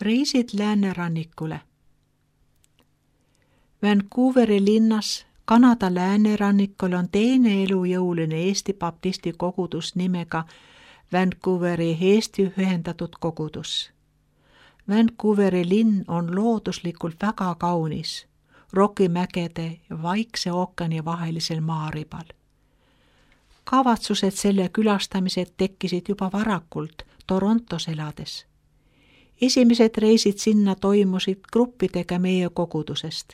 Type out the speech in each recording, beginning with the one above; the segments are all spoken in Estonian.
Reisid läänerannikule. Vancouveri linnas Kanada läänerannikul on teine elujõuline Eesti baptisti kogudus nimega Vancouveri Eesti ühendatud kogudus. Vancouveri linn on looduslikult väga kaunis, Rokimägede ja Vaikse ookeani vahelisel maaribal. Kavatsused selle külastamised tekkisid juba varakult Torontos elades. Esimesed reisid sinna toimusid gruppidega meie kogudusest.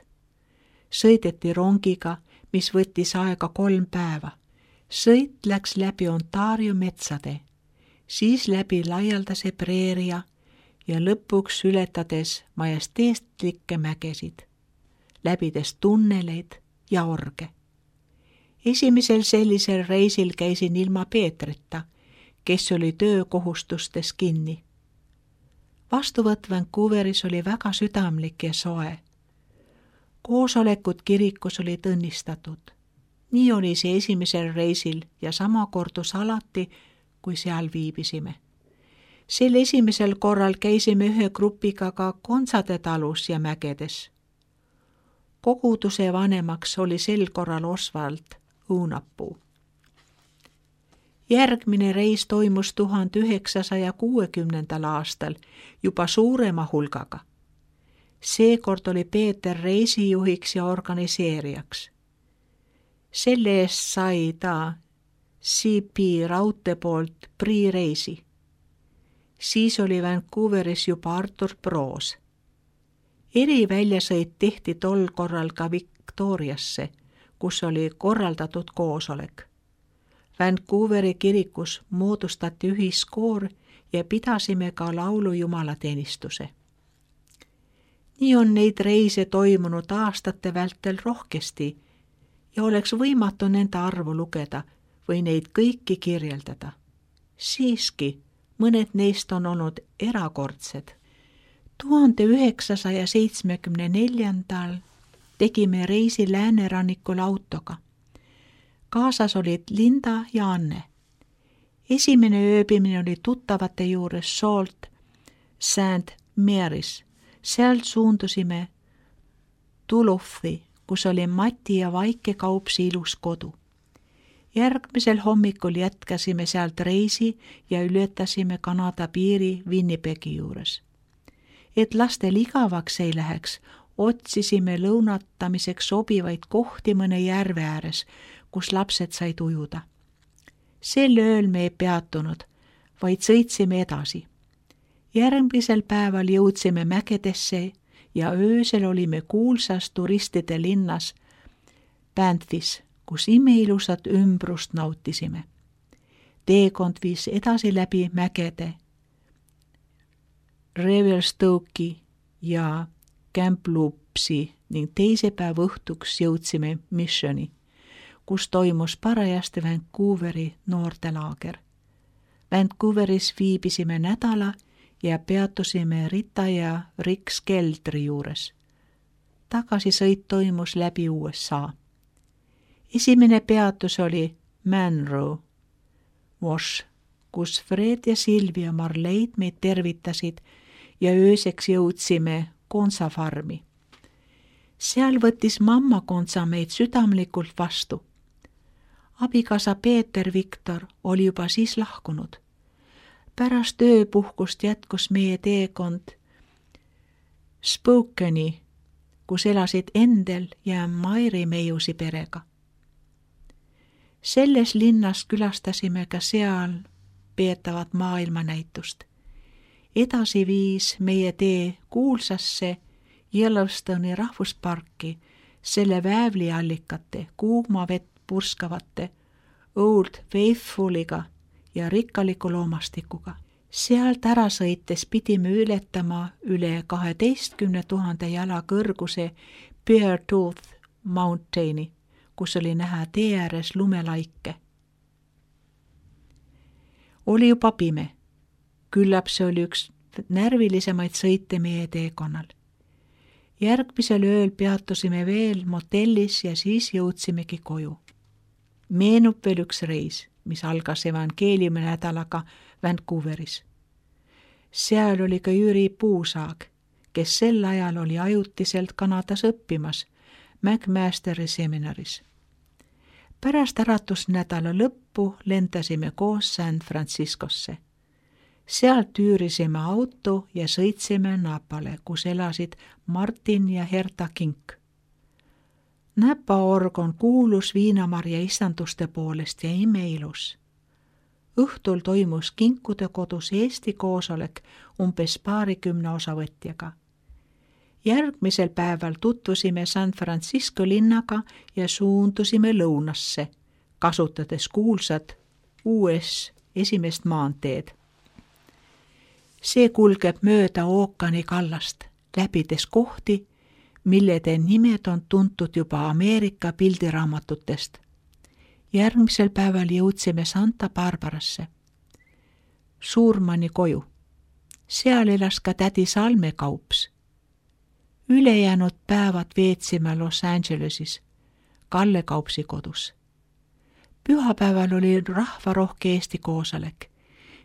Sõideti rongiga, mis võttis aega 3 päeva. Sõit läks läbi Ontario metsade, siis läbi laialdase preeria ja lõpuks ületades majesteetlikke mägesid, läbides tunneleid ja orge. Esimesel sellisel reisil käisin ilma Peetrita, kes oli töökohustustes kinni. Vastuvõtt Vancouveris oli väga südamlik ja soe. Koosolekud kirikus olid õnnistatud. Nii oli see esimesel reisil ja sama kordus alati, kui seal viibisime. Sel esimesel korral käisime ühe grupiga ka Konsade talus ja mägedes. Koguduse vanemaks oli sel korral Oswald Õunapuu. Järgmine reis toimus 1960. aastal juba suurema hulgaga. Seekord oli Peeter reisijuhiks ja organiseerijaks. Selle eest sai ta CP raudtee poolt priireisi. Siis oli Vancouveris juba Artur Proos. Eriväljasõit tehti tol korral ka Victoriasse, kus oli korraldatud koosolek. Vancouveri kirikus moodustati ühiskoor ja pidasime ka laulujumalateenistuse. Nii on neid reise toimunud aastate vältel rohkesti ja oleks võimatu nende arvu lugeda või neid kõiki kirjeldada. Siiski mõned neist on olnud erakordsed. 1974. tegime reisi läänerannikul autoga. Kaasas olid Linda ja Anne. Esimene ööbimine oli tuttavate juures Sault St. Mary's. Sealt suundusime Duluthi, kus oli Mati ja Vaike Kaupsi ilus kodu. Järgmisel hommikul jätkasime sealt reisi ja ületasime Kanada piiri Winnipegi juures. Et lastel igavaks ei läheks, otsisime lõunatamiseks sobivaid kohti mõne järve ääres, kus lapsed said ujuda. Sel ööl me ei peatunud, vaid sõitsime edasi. Järgmisel päeval jõudsime mägedesse ja öösel olime kuulsas turistide linnas Banffis, kus imeilusat ümbrust nautisime. Teekond viis edasi läbi mägede, Revelstoke'i ja Kamloopsi ning teise päeva õhtuks jõudsime Missioni, kus toimus parajasti Vancouveri noortelaager. Vancouveris viibisime nädala ja peatusime Rita ja Rick Skeldri juures. Tagasisõit toimus läbi USA. Esimene peatus oli Monroe Wash, kus Fred ja Silvia Marleid meid tervitasid ja ööseks jõudsime Konsa farmi. Seal võttis mamma Konsa meid südamlikult vastu. Abikaasa Peeter Viktor oli juba siis lahkunud. Pärast ööpuhkust jätkus meie teekond Spokane, kus elasid Endel ja Mairi Meiusi perega. Selles linnas külastasime ka seal peetavat maailmanäitust. Edasi viis meie tee kuulsasse Yellowstone'i rahvusparki selle väävliallikate, kuuma vett purskavate Old Faithfuliga ja rikkaliku loomastikuga. Sealt ära sõites pidime ületama üle 12 000 jala kõrguse Beartooth Mountaini, kus oli näha tee ääres lumelaike. Oli juba pime. Küllap see oli üks närvilisemaid sõite meie teekonnal. Järgmisel ööl peatusime veel motellis ja siis jõudsimegi koju. Meenub veel üks reis, mis algas evangeeliumi nädalaga Vancouveris. Seal oli ka Jüri Puusaag, kes sel ajal oli ajutiselt Kanadas õppimas McMasteri seminaris. Pärast äratusnädala lõppu lendasime koos San Franciscosse. Sealt üürisime auto ja sõitsime Napale, kus elasid Martin ja Herta Kink. Napa org on kuulus viinamarja istanduste poolest ja imeilus. Õhtul toimus Kinkude kodus Eesti koosolek umbes 20 osavõtjaga. Järgmisel päeval tutvusime San Francisco linnaga ja suundusime lõunasse, kasutades kuulsat US esimest maanteed. See kulgeb mööda ookeani kallast, läbides kohti, millede nimed on tuntud juba Ameerika pildiraamatutest. Järgmisel päeval jõudsime Santa Barbarasse, Suurmanni koju. Seal elas ka tädi Salme Kaups. Ülejäänud päevad veetsime Los Angelesis, Kalle Kaupsi kodus. Pühapäeval oli rahvarohke Eesti koosolek,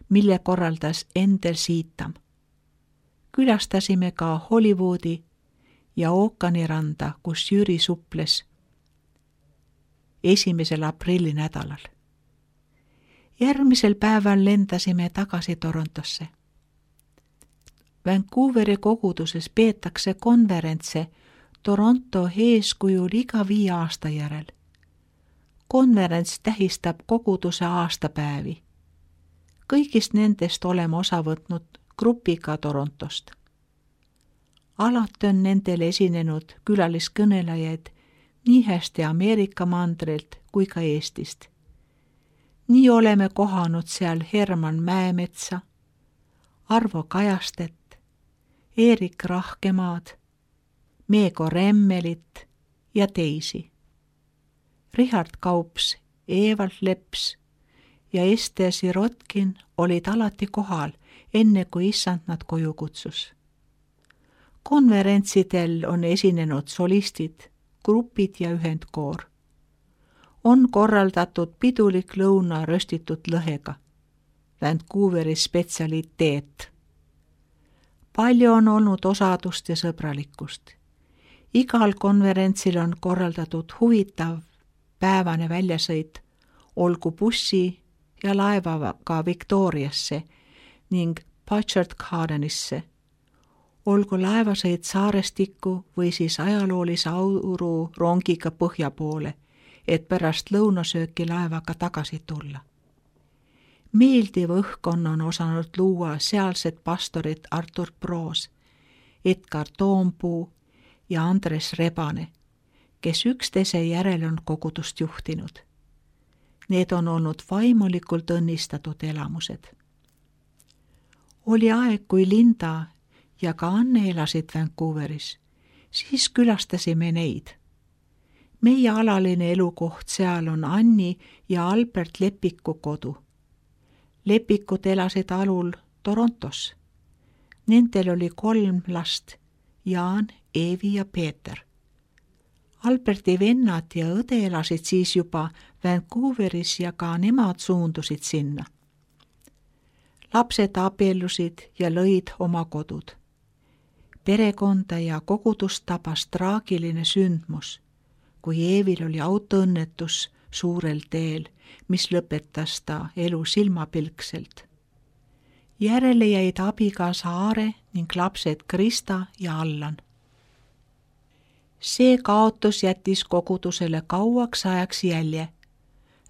mille korraldas Endel Siitam. Külastasime ka Hollywoodi ja ookeaniranda, kus Jüri suples 1. aprilli nädalal. Järgmisel päeval lendasime tagasi Torontosse. Vancouveri koguduses peetakse konverentse Toronto eeskujul iga 5 aasta järel. Konverents tähistab koguduse aastapäevi. Kõigist nendest oleme osa võtnud grupiga Torontost. Alati on nendel esinenud külaliskõnelejaid nii hästi Ameerika mandrilt kui ka Eestist. Nii oleme kohanud seal Herman Mäemetsa, Arvo Kajastet, Eerik Rahkemaad, Meego Remmelit ja teisi. Richard Kaups, Evald Leps ja Ester Sirotkin olid alati kohal, enne kui issand nad koju kutsus. Konverentsidel on esinenud solistid, grupid ja ühendkoor. On korraldatud pidulik lõuna röstitud lõhega, Vancouveri spetsialiteet. Palju on olnud osadust ja sõbralikkust. Igal konverentsil on korraldatud huvitav päevane väljasõit, olgu bussi ja laevaga Victoriasse ning Butchart Gardenisse, olgu laevasõit Saarestikku või siis ajaloolise auru rongiga põhja poole, et pärast lõunasööki laevaga tagasi tulla. Meeldiv õhkkonna on osanud luua sealsed pastorid Artur Proos, Edgar Toompuu ja Andres Rebane, kes üksteise järel on kogudust juhtinud. Need on olnud vaimulikult õnnistatud elamused. Oli aeg, kui Linda ja ka Anne elasid Vancouveris, siis külastasime neid. Meie alaline elukoht seal on Anni ja Albert Lepiku kodu. Lepikud elasid alul Torontos. Nendel oli 3 last, Jaan, Eevi ja Peeter. Alberti vennad ja õde elasid siis juba Vancouveris ja ka nemad suundusid sinna. Lapsed abiellusid ja lõid oma kodud. Perekonda ja kogudust tabas traagiline sündmus, kui Eevil oli autoõnnetus suurel teel, mis lõpetas ta elu silmapilkselt. Järele jäid abikaasa Aare ning lapsed Krista ja Allan. See kaotus jättis kogudusele kauaks ajaks jälje,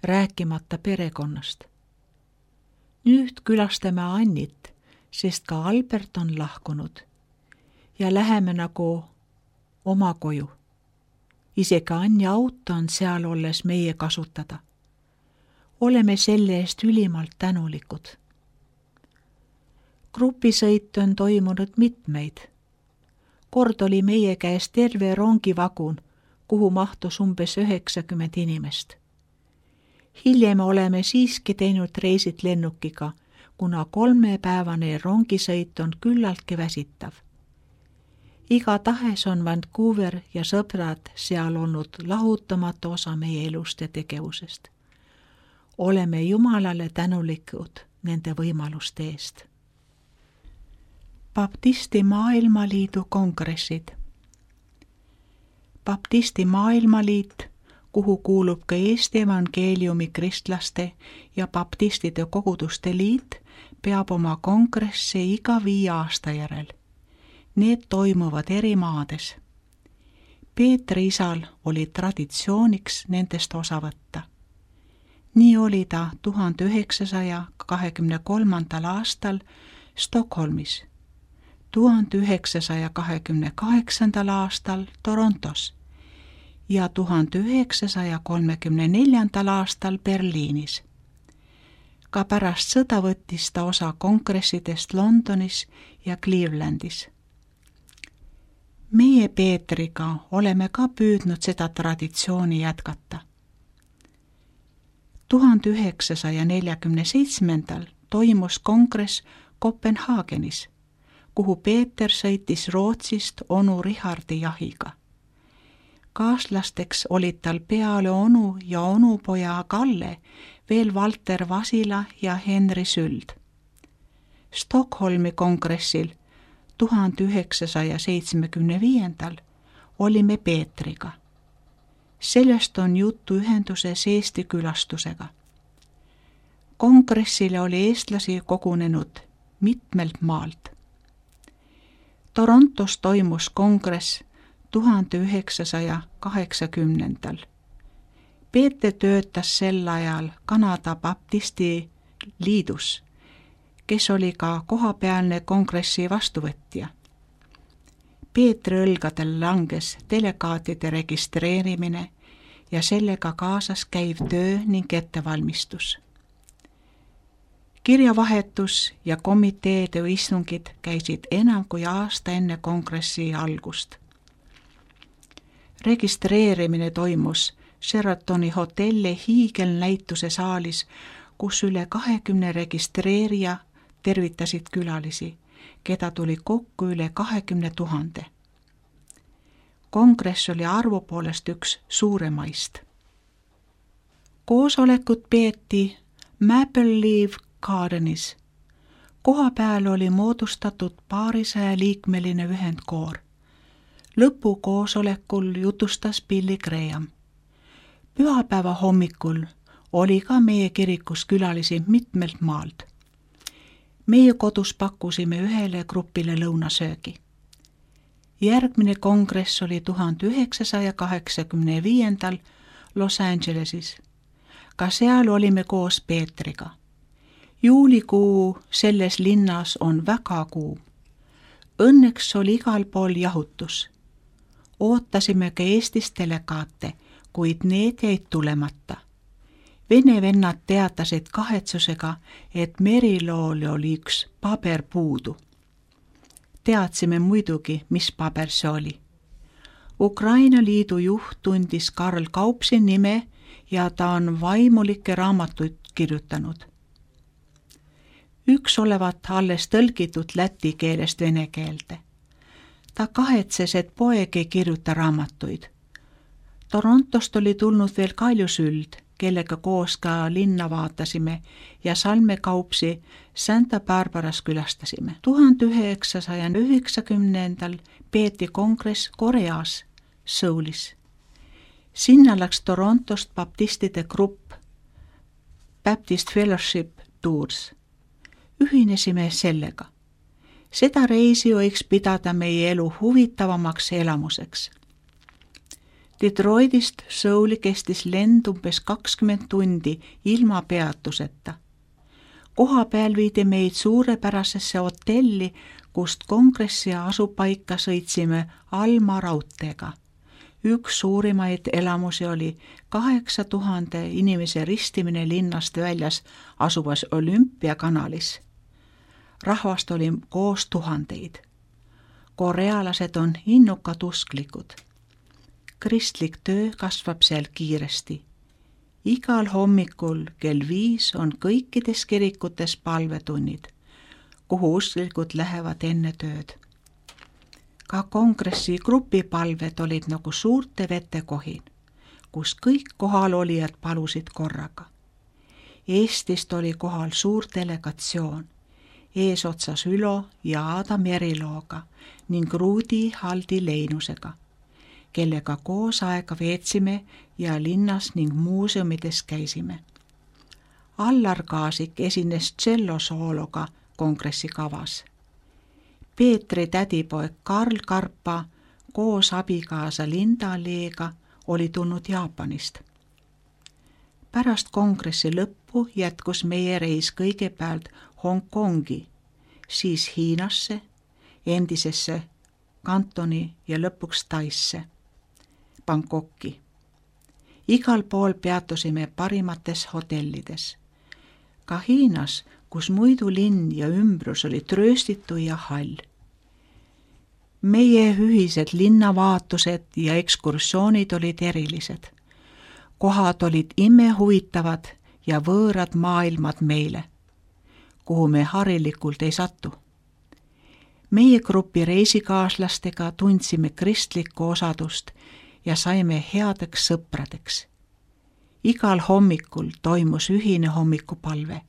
rääkimata perekonnast. Nüüd külastame Annit, sest ka Albert on lahkunud ja läheme nagu oma koju. Isegi Anni auto on seal olles meie kasutada. Oleme selle eest ülimalt tänulikud. Grupisõit on toimunud mitmeid. Kord oli meie käes terve rongivagun, kuhu mahtus umbes 90 inimest. Hiljem oleme siiski teinud reisid lennukiga, kuna 3-päevane rongisõit on küllaltki väsitav. Igatahes on Vancouver ja sõbrad seal olnud lahutamatu osa meie elust ja tegevusest. Oleme Jumalale tänulikud nende võimaluste eest. Baptisti Maailmaliidu kongressid. Baptisti Maailmaliit, kuhu kuulub ka Eesti Evangeeliumi Kristlaste ja Baptistide Koguduste Liit, peab oma kongresse iga 5 aasta järel. Need toimuvad eri maades. Peetri isal oli traditsiooniks nendest osa võtta. Nii oli ta 1923. aastal Stockholmis, 1928. aastal Torontos ja 1934. aastal Berliinis. Ka pärast sõda võttis ta osa kongressidest Londonis ja Clevelandis. Meie Peetriga oleme ka püüdnud seda traditsiooni jätkata. 1947. toimus kongress Kopenhaagenis, kuhu Peeter sõitis Rootsist onu Richardi jahiga. Kaaslasteks olid tal peale onu ja onupoja Kalle veel Valter Vasila ja Henri Süld. Stockholmi kongressil 1975. olime Peetriga. Sellest on juttu ühenduses Eesti külastusega. Kongressile oli eestlasi kogunenud mitmelt maalt. Torontos toimus kongress 1980. Peeter töötas sel ajal Kanada Baptisti Liidus, kes oli ka kohapealne kongressi vastuvõtja. Peetri õlgadel langes delegaatide registreerimine ja sellega kaasas käiv töö ning ettevalmistus. Kirjavahetus ja komiteede istungid käisid enam kui aasta enne kongressi algust. Registreerimine toimus Sheratoni hotelli hiigelnäituse saalis, kus üle 20 registreerija tervitasid külalisi, keda tuli kokku üle 20 000. Kongress oli arvu poolest üks suuremaist. Koosolekut peeti Maple Leaf Gardenis. Koha peal oli moodustatud 200-liikmeline ühendkoor. Lõpukoosolekul jutustas Billy Graham. Pühapäeva hommikul oli ka meie kirikus külalisi mitmelt maalt. Meie kodus pakkusime ühele grupile lõunasöögi. Järgmine kongress oli 1985. Los Angelesis. Ka seal olime koos Peetriga. Juulikuu selles linnas on väga kuum. Õnneks oli igal pool jahutus. Ootasime ka Eestist delegaate, kuid need jäid tulemata. Vene vennad teatasid kahetsusega, et Merilool oli üks paber puudu. Teadsime muidugi, mis paber see oli. Ukraina Liidu juht tundis Karl Kaupsi nime ja ta on vaimulikke raamatuid kirjutanud. Üks olevat alles tõlgitud läti keelest vene keelde. Ta kahetses, et poeg ei kirjuta raamatuid. Torontost oli tulnud veel Kalju Süld, kellega koos ka linna vaatasime ja Salme Kaupsi Santa Barbaras külastasime. 1990. peeti kongress Koreas, Soulis. Sinna läks Torontost baptistide grupp Baptist Fellowship Tours. Ühinesime sellega. Seda reisi võiks pidada meie elu huvitavamaks elamuseks. Detroitist Souli kestis lend umbes 20 tundi ilma peatuseta. Koha peal viidi meid suurepärasesse hotelli, kust kongressi asupaika sõitsime Alma raudteega. Üks suurimaid elamusi oli 8000 inimese ristimine linnast väljas asuvas Olümpiakanalis. Rahvast oli koos tuhandeid. Korealased on innukad usklikud. Kristlik töö kasvab seal kiiresti. Igal hommikul kell 5 on kõikides kirikutes palvetunnid, kuhu usklikud lähevad enne tööd. Ka kongressi grupipalved olid nagu suurte vetekohin, kus kõik kohalolijad palusid korraga. Eestist oli kohal suur delegatsioon. eesotsas Ülo ja Aada Merilooga ning Ruudi Haldi Leinusega, kellega koos aega veetsime ja linnas ning muuseumides käisime. Allar Kaasik esines tšellosoologa kongressi kavas. Peetri tädipoeg Karl Karpa koos abikaasa Linda Leega oli tulnud Jaapanist. Pärast kongressi lõppu jätkus meie reis kõigepealt Hongkongi, siis Hiinasse, endisesse Kantoni ja lõpuks Taisse, Bangkoki. Igal pool peatusime parimates hotellides. Ka Hiinas, kus muidu linn ja ümbrus oli trööstitu ja hall. Meie ühised linnavaatused ja ekskursioonid olid erilised. Kohad olid imehuvitavad ja võõrad maailmad meile, kuhu me harilikult ei satu. Meie grupi reisikaaslastega tundsime kristlikku osadust ja saime headeks sõpradeks. Igal hommikul toimus ühine hommikupalve,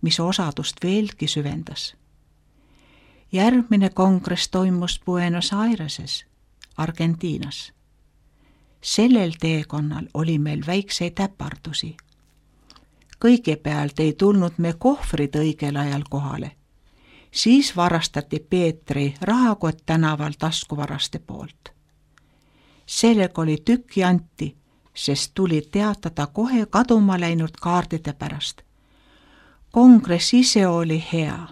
mis osadust veelgi süvendas. Järgmine kongress toimus Buenos Aireses, Argentiinas. Sellel teekonnal oli meil väikseid äpardusi. Kõigepealt ei tulnud me kohvrid õigel ajal kohale. Siis varastati Peetri rahakott tänaval taskuvaraste poolt. Sellega oli tükki anti, sest tuli teatada kohe kaduma läinud kaardide pärast. Kongress ise oli hea.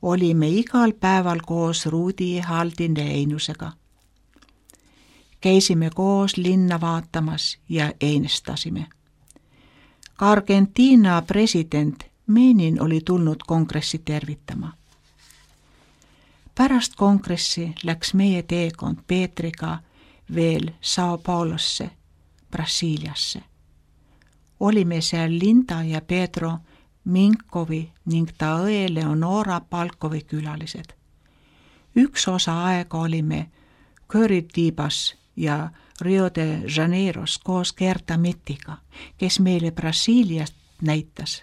Olime igal päeval koos Ruudi Haldi Leinusega. Käisime koos linna vaatamas ja einestasime. Ka Argentiina president Menin oli tulnud kongressi tervitama. Pärast kongressi läks meie teekond Peetriga veel Sao Paulosse, Brasiiliasse. Olime seal Linda ja Pedro Minkovi ning ta õe Leonora Palkovi külalised. Üks osa aega olime Curitiba's ja Rio de Janeiros koos Gerta Mittiga, kes meile Brasiiliast näitas.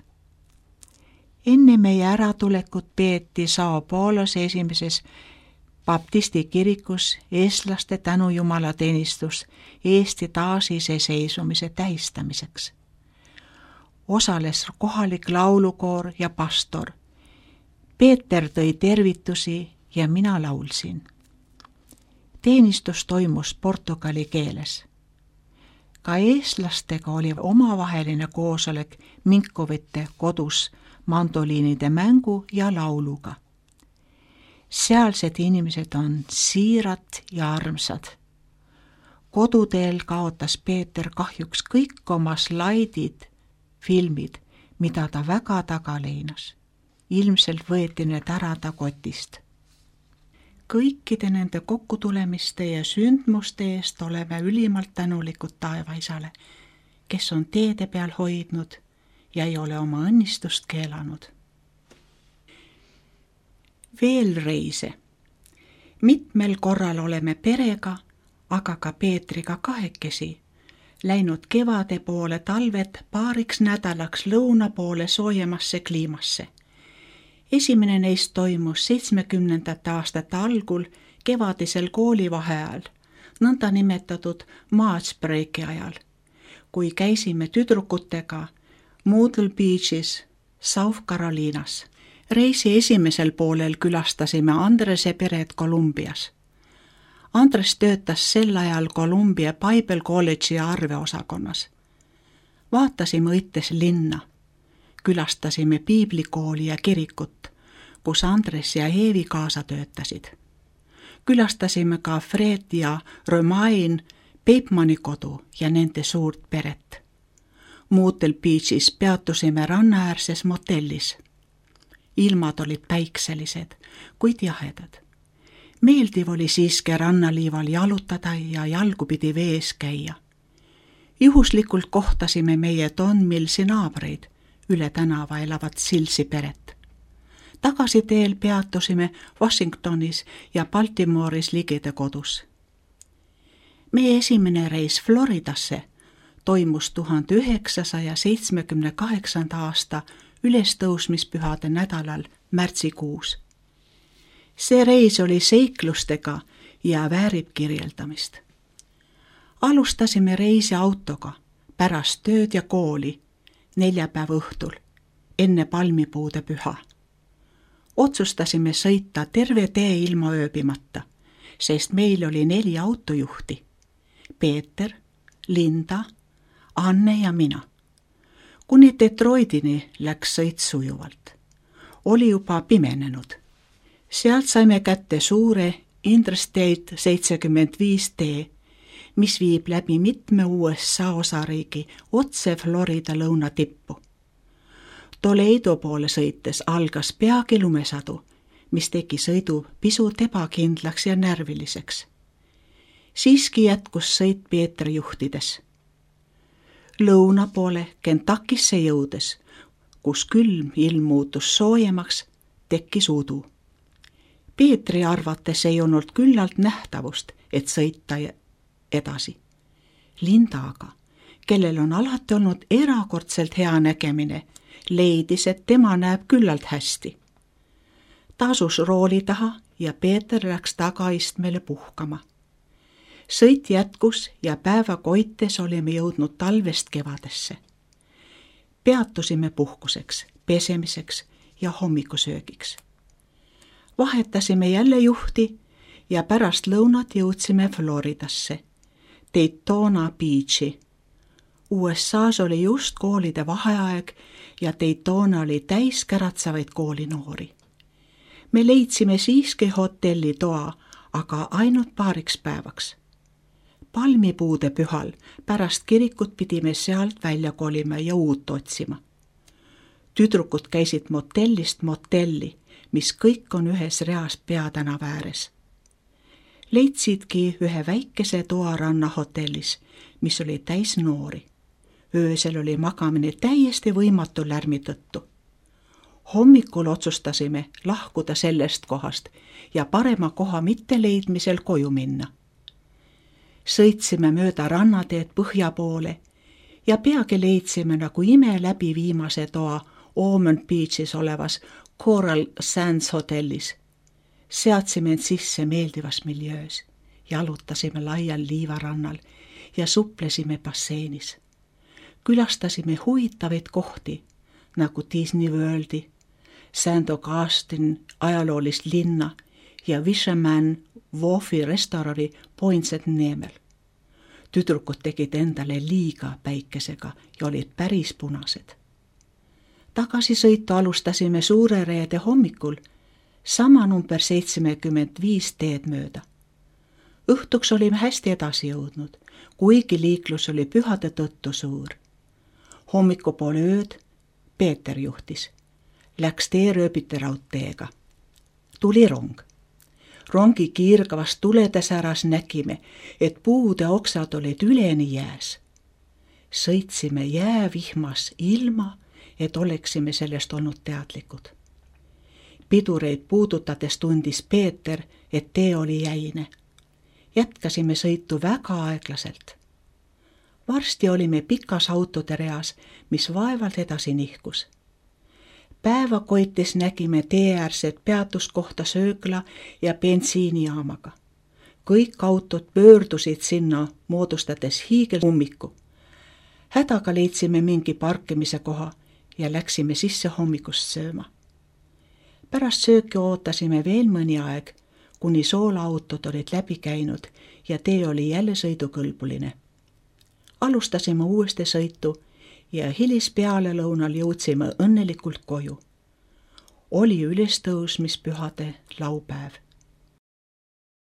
Enne meie äratulekut peeti Sao Paulos esimeses baptisti kirikus eestlaste tänujumalateenistus Eesti taasiseseisvumise tähistamiseks. Osales kohalik laulukoor ja pastor. Peeter tõi tervitusi ja mina laulsin. Teenistus toimus portugali keeles. Ka eestlastega oli omavaheline koosolek Minkovite kodus mandoliinide mängu ja lauluga. Sealsed inimesed on siirad ja armsad. Koduteel kaotas Peeter kahjuks kõik oma slaidid, filmid, mida ta väga taga leinas. Ilmselt võeti need ära ta kotist. Kõikide nende kokkutulemiste ja sündmuste eest oleme ülimalt tänulikud taevaisale, kes on teede peal hoidnud ja ei ole oma õnnistust keelanud. Veel reise. Mitmel korral oleme perega, aga ka Peetriga kahekesi, läinud kevade poole talvet paariks nädalaks lõuna poole soojemasse kliimasse. Esimene neist toimus 70. aastate algul kevadisel koolivaheajal, nõnda nimetatud March-breaki ajal, kui käisime tüdrukutega Myrtle Beachis, South Carolinas. Reisi esimesel poolel külastasime Andrese peret Kolumbias. Andres töötas sel ajal Columbia Bible College'i arveosakonnas. Vaatasime õites linna. Külastasime piiblikooli ja kirikut, kus Andres ja Eevi kaasa töötasid. Külastasime ka Fred ja Romain Peipmanni kodu ja nende suurt peret. Myrtle Beachis peatusime rannaäärses motellis. Ilmad olid päikselised, kuid jahedad. Meeldiv oli siiski rannaliival jalutada ja jalgupidi vees käia. Juhuslikult kohtasime meie Don Millsi naabreid, üle tänava elavat Silsi peret. Tagasiteel peatusime Washingtonis ja Baltimore'is ligide kodus. Meie esimene reis Floridasse toimus 1978. aasta ülestõusmispühade nädalal märtsikuus. See reis oli seiklustega ja väärib kirjeldamist. Alustasime reisi autoga pärast tööd ja kooli neljapäeva õhtul, enne palmipuude püha. Otsustasime sõita terve tee ilma ööbimata, sest meil oli 4 autojuhti. Peeter, Linda, Anne ja mina. Kuni Detroitini läks sõit sujuvalt. Oli juba pimenenud. Sealt saime kätte suure Interstate 75 tee, mis viib läbi mitme USA osariigi otse Florida lõunatippu. Toledo poole sõites algas peagi lumesadu, mis tegi sõidu pisut ebakindlaks ja närviliseks. Siiski jätkus sõit Peetri juhtides. Lõuna poole Kentuckisse jõudes, kus külm ilm muutus soojemaks, tekkis udu. Peetri arvates ei olnud küllalt nähtavust, et sõita edasi. Linda aga, kellel on alati olnud erakordselt hea nägemine, leidis, et tema näeb küllalt hästi. Ta asus rooli taha ja Peeter läks tagaistmele puhkama. Sõit jätkus ja päeva koites olime jõudnud talvest kevadesse. Peatusime puhkuseks, pesemiseks ja hommikusöögiks. Vahetasime jälle juhti ja pärast lõunat jõudsime Floridasse, Daytona Beachi. USAs oli just koolide vaheaeg ja Daytona oli täis käratsavaid koolinoori. Me leidsime siiski hotellitoa, aga ainult paariks päevaks. Palmipuude pühal pärast kirikut pidime sealt välja kolima ja uut otsima. Tüdrukud käisid motellist motelli, mis kõik on ühes reas peatänava ääres. Leidsidki ühe väikese toa rannahotellis, mis oli täis noori. Öösel oli magamine täiesti võimatu lärmi tõttu. Hommikul otsustasime lahkuda sellest kohast ja parema koha mitteleidmisel koju minna. Sõitsime mööda rannateed põhja poole ja peagi leidsime nagu ime läbi viimase toa Ormond Beachis olevas Coral Sands hotellis. Seadsime end sisse meeldivas miljöös, jalutasime laial liivarannal ja suplesime basseinis. Külastasime huvitavaid kohti, nagu Disney Worldi, St. Augustine ajaloolist linna ja Fisherman Wharfi restorani Poinsett Neemel. Tüdrukud tegid endale liiga päikesega ja olid päris punased. Tagasisõitu alustasime Suure Reede hommikul, sama number 75 teed mööda. Õhtuks olime hästi edasi jõudnud, kuigi liiklus oli pühade tõttu suur. Hommikupoole ööd Peeter juhtis. Läks teerööbite raudteega. Tuli rong. Rongi kiirgavast tuledesäras nägime, et puude oksad olid üleni jääs. Sõitsime jäävihmas ilma, et oleksime sellest olnud teadlikud. Pidureid puudutades tundis Peeter, et tee oli jäine. Jätkasime sõitu väga aeglaselt. Varsti olime pikas autode reas, mis vaevalt edasi nihkus. Päeva koites nägime teeäärset peatuskohta söökla ja bensiinijaamaga. Kõik autod pöördusid sinna, moodustades hiigelummiku. Hädaga leidsime mingi parkimise koha ja läksime sisse hommikust sööma. Pärast sööki ootasime veel mõni aeg, kuni soolaautod olid läbi käinud ja tee oli jälle sõidukõlbuline. Alustasime uuesti sõitu ja hilis pealelõunal jõudsime õnnelikult koju. Oli ülestõusmispühade laupäev.